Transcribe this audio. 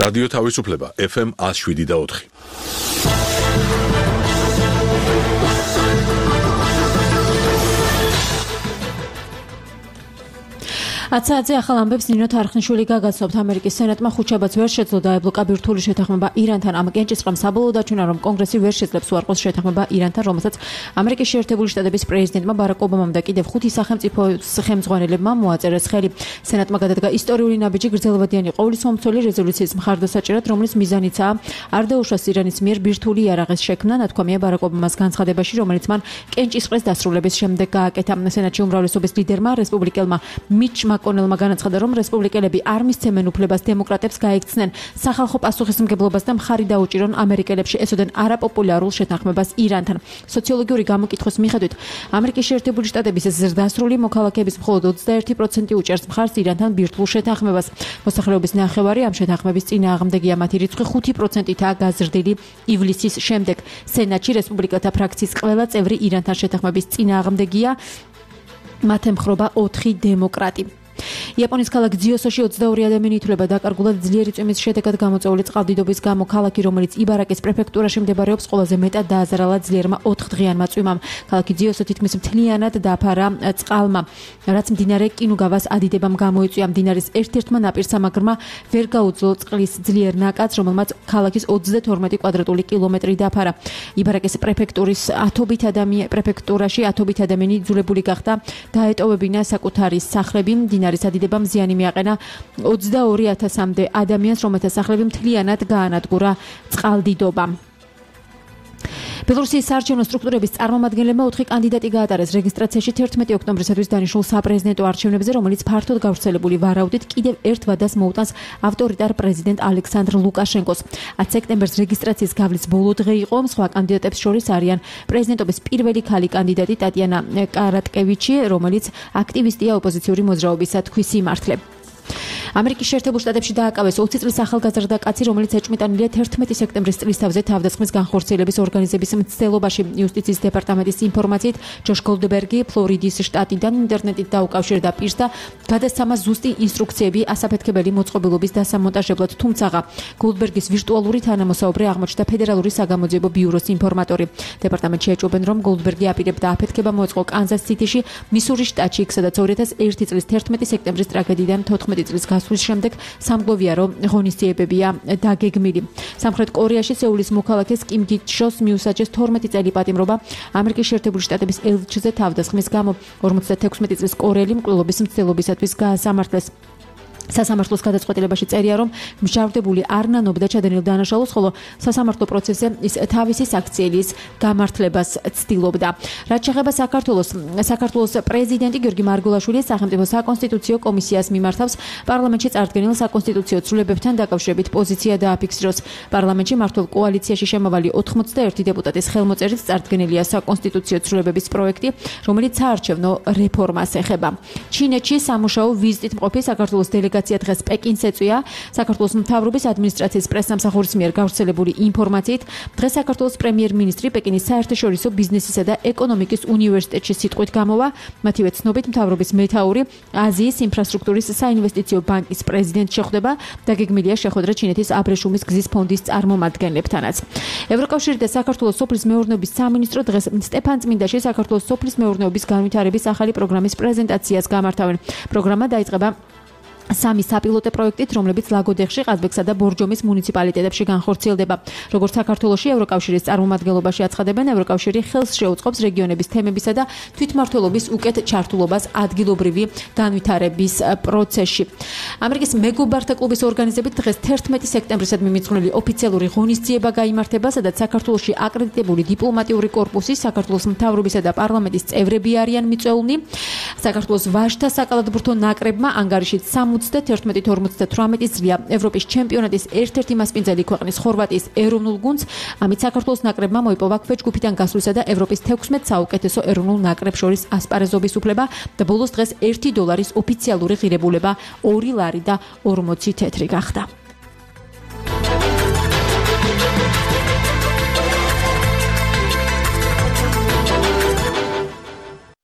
რადიო თავისუფლება FM 107.4. აცაძე ახალ ამბებს ნინო თარხნიშვილი გაგაცნობთ. ამერიკის სენატმა ხუთშაბათს ვერ შეძლო დაებლოკა ბირთვული შეთანხმება ირანთან. ამ კენჭისყრამ საბოლოოდ დაჩვენა, რომ კონგრესი ვერ შეძლებს უარყოს შეთანხმება ირანთან, რომელსაც ამერიკის შეერთებული შტატების პრეზიდენტმა ბარაკ ობამამ და კიდევ 5 სახელმწიფოს ხელმძღვანელებმა მოაწერეს ხელი. სენატმა გადადგა ისტორიული ნაბიჯი გრძელვადიანი ყოვლისმომცველი რეზოლუციის მხარდასაჭერად, რომლის მიზანიცაა არ დაუშვას ირანის მიერ ბირთვული იარაღის შექმნა, ნათქვამია ბარაკ ობამას განცხადებაში, რომელიც მან კენჭისყრის დასრულების შემდეგ გააკეთა. სენატში უმრავლესობის ლიდერმა რესპუბლიკელმა მიჩ მაკონელმა განაცხადა, რომ რესპუბლიკელები არ მისცემენ უფლებას დემოკრატებს გაექცნენ სახალხო პასუხისმგებლობას და მხარი დაუჭირონ ამერიკელებში ესოდენ არაპოპულარულ შეთანხმებას ირანთან. სოციოლოგიური გამოკითხვის მიხედვით, ამერიკის შეერთებული შტატების ზრდასრული მოქალაქეების მხოლოდ 21% უჭერს მხარს ირანთან ბირთვულ შეთანხმებას. მოსახლეობის ნახევარი ამ შეთანხმების წინააღმდეგია, მათი რიცხვი 5%-ითაა გაზრდილი ივლისის შემდეგ. სენატში რესპუბლიკელთა ფრაქციის ყველა წევრი ირანთან შეთანხმების წინააღმდეგია, მათ ემხრობა 4 დემოკრატი. იაპონიის ქალაქ ძიოსოში 22 ადამიანი ითვლება დაკარგულად ძლიერი წვიმის შედეგად გამოწვეული წყალდიდობის გამო. ქალაქი, რომელიც იბარაკის პრეფექტურაში მდებარეობს, ყველაზე მეტად დააზარალა ძლიერმა 4 დღიანმა წვიმამ. ქალაქი ძიოსო თითქმის მთლიანად დაფარა წყალმა, რაც მდინარე კინუგავას ადიდებამ გამოიწვია. მდინარის ერთ-ერთმა ნაპირსამაგრმა ვერ გაუძლო წყლის ძლიერ ნაკადს, რომელმაც ქალაქის 32 კვადრატული კილომეტრი დაფარა. იბარაკის პრეფექტურაში ათობით ადამიანი იძულებული გახდა დაეტოვებინა საკუთარი სახლები. მდინარის ადიდებამ ზიანი მიაყენა 22,000-მდე ადამიანს, რომელთა სახლები მთლიანად გაანადგურა წყალდიდობამ. ბელორუსიის საარჩევნო სტრუქტურების წარმომადგენლებმა 4 კანდიდატი გაატარეს რეგისტრაციაში 11 ოქტომბრისათვის დანიშნულ საპრეზიდენტო არჩევნებზე, რომელიც ფართოდ გავრცელებული ვარაუდით კიდევ ერთ ვადას მოუტანს ავტორიტარ პრეზიდენტ ალექსანდრ ლუკაშენკოს. 10 სექტემბერს რეგისტრაციის გავლის ბოლო დღე იყო. სხვა კანდიდატებს შორის არიან პრეზიდენტობის პირველი ქალი კანდიდატი ტატიანა კარატკევიჩი, რომელიც აქტივისტია ოპოზიციური მოძრაობისა თქვის სიმართლე. ამერიკის შეერთებულ შტატებში დააკავეს 20 წლის ახალგაზრდა კაცი, რომელიც ეჭვმიტანილია 11 სექტემბრის წლისთავზე თავდასხმის განხორციელების ორგანიზების მცდელობაში. იუსტიციის დეპარტამენტის ინფორმაციით, ჯოშ გოლდბერგი ფლორიდის შტატიდან ინტერნეტით დაუკავშირდა პირს და გადასცამა ზუსტი ინსტრუქციები ასაფეთქებელი მოწყობილობის დასამონტაჟებლად, თუმცა გოლდბერგის ვირტუალური თანამოსაუბრე აღმოჩნდა ფედერალური საგამოძიებო ბიუროს ინფორმატორი. დეპარტამენტში ეჭვობენ, რომ გოლდბერგი აპირებდა აფეთქება მოეწყო კანზას სიტიში, მისურის შტატში, სადაც 2001 წლის 11 სექტემბრის ტრაგედიიდან 14 წლის გასვლის შემდეგ სამგლოვია, რომ ღონისძიებებია დაგეგმილი. სამხრეთ კორეაში სეულის მოქალაქეს კიმ გიჩოს მიუსაჯეს 12 წელი პატიმრობა ამერიკის შეერთებული შტატების ელჩზე თავდასხმის გამო. 56 წლის კორეელი მკვლელობის მცდელობისათვის გაასამართლეს. სასამართლოს გადაწყვეტილებაში წერია, რომ მჟავდებული არ ნანობდა ჩადენილ დანაშაულს, ხოლო სასამართლო პროცესზე ის თავისი საქციელის გამართლებას ცდილობდა. რაც შეეხება საქართველოს პრეზიდენტი გიორგი მარგულაშვილი სახელმწიფო საკონსტიტუციო კომისიას მიმართავს პარლამენტში წარდგენილ საკონსტიტუციო ცვლილებებთან დაკავშირებით პოზიცია დააფიქსიროს. პარლამენტში მართულ კოალიციაში შემავალი 81 დეპუტატის ხელმოწერით წარდგენილია საკონსტიტუციო ცვლილებების პროექტი, რომელიც საარჩევნო რეფორმას ეხება. ჩინეთში სამუშაო ვიზიტით მყოფი საქართველოს დელეგაცია დღეს პეკინს ეწვია. საქართველოს მთავრობის ადმინისტრაციის პრესსამსახურის მიერ გავრცელებული ინფორმაციით, დღეს საქართველოს პრემიერ-მინისტრი პეკინის საერთაშორისო ბიზნესისა და ეკონომიკის უნივერსიტეტში სიტყვით გამოვა. მათივე ცნობით, მთავრობის მეთაური აზიის ინფრასტრუქტურის საინვესტიციო ბანკის პრეზიდენტ შეხვდება. დაგეგმილია შეხვედრა ჩინეთის აბრეშუმის გზის ფონდის წარმომადგენლებთანაც. ევროკავშირი და საქართველოს სოფლის მეურნეობის სამინისტრო დღეს სტეფანწმინდაში საქართველოს სოფლის მეურნეობის განვითარების ახალი პროგრამის პრეზენტაციას გამართავენ. პროგრამა დაიწყება 3 საპილოტო პროექტით, რომლებიც ლაგოდეხში, ყაზბეგსა და ბორჯომის მუნიციპალიტეტებში განხორციელდება. როგორც საქართველოში ევროკავშირის წარმომადგენლობაში აცხადებენ, ევროკავშირი ხელს შეუწყობს რეგიონების თემებისა და თვითმმართველობის უკეთ ჩართულობას ადგილობრივი განვითარების პროცესში. ამერიკის მეგობართა კლუბის ორგანიზებით დღეს 11 სექტემბრისადმი მიძღვნილი ოფიციალური ღონისძიება გაიმართება, სადაც საქართველოში აკრედიტებული დიპლომატიური კორპუსი, საქართველოს მთავრობისა და პარლამენტის წევრები არიან მიწვეულნი. საქართველოს ვაჟთა საკალათბურთო ნაკრებმა ანგარიშით 71-58 წლია ევროპის ჩემპიონატის ერთ-ერთი მასპინძელი ქვეყნის ხორვატიის ეროვნულ გუნდს. ამით საქართველოს ნაკრებმა მოიპოვა ქვეჯგუფიდან გასვლისა და ევროპის 16 საუკეთესო ეროვნულ ნაკრებს შორის ასპარეზობის უფლება და ბოლოს დღეს $1 ოფიციალური ღირებულება 2 ლარი და 40 თეთრი გახდა.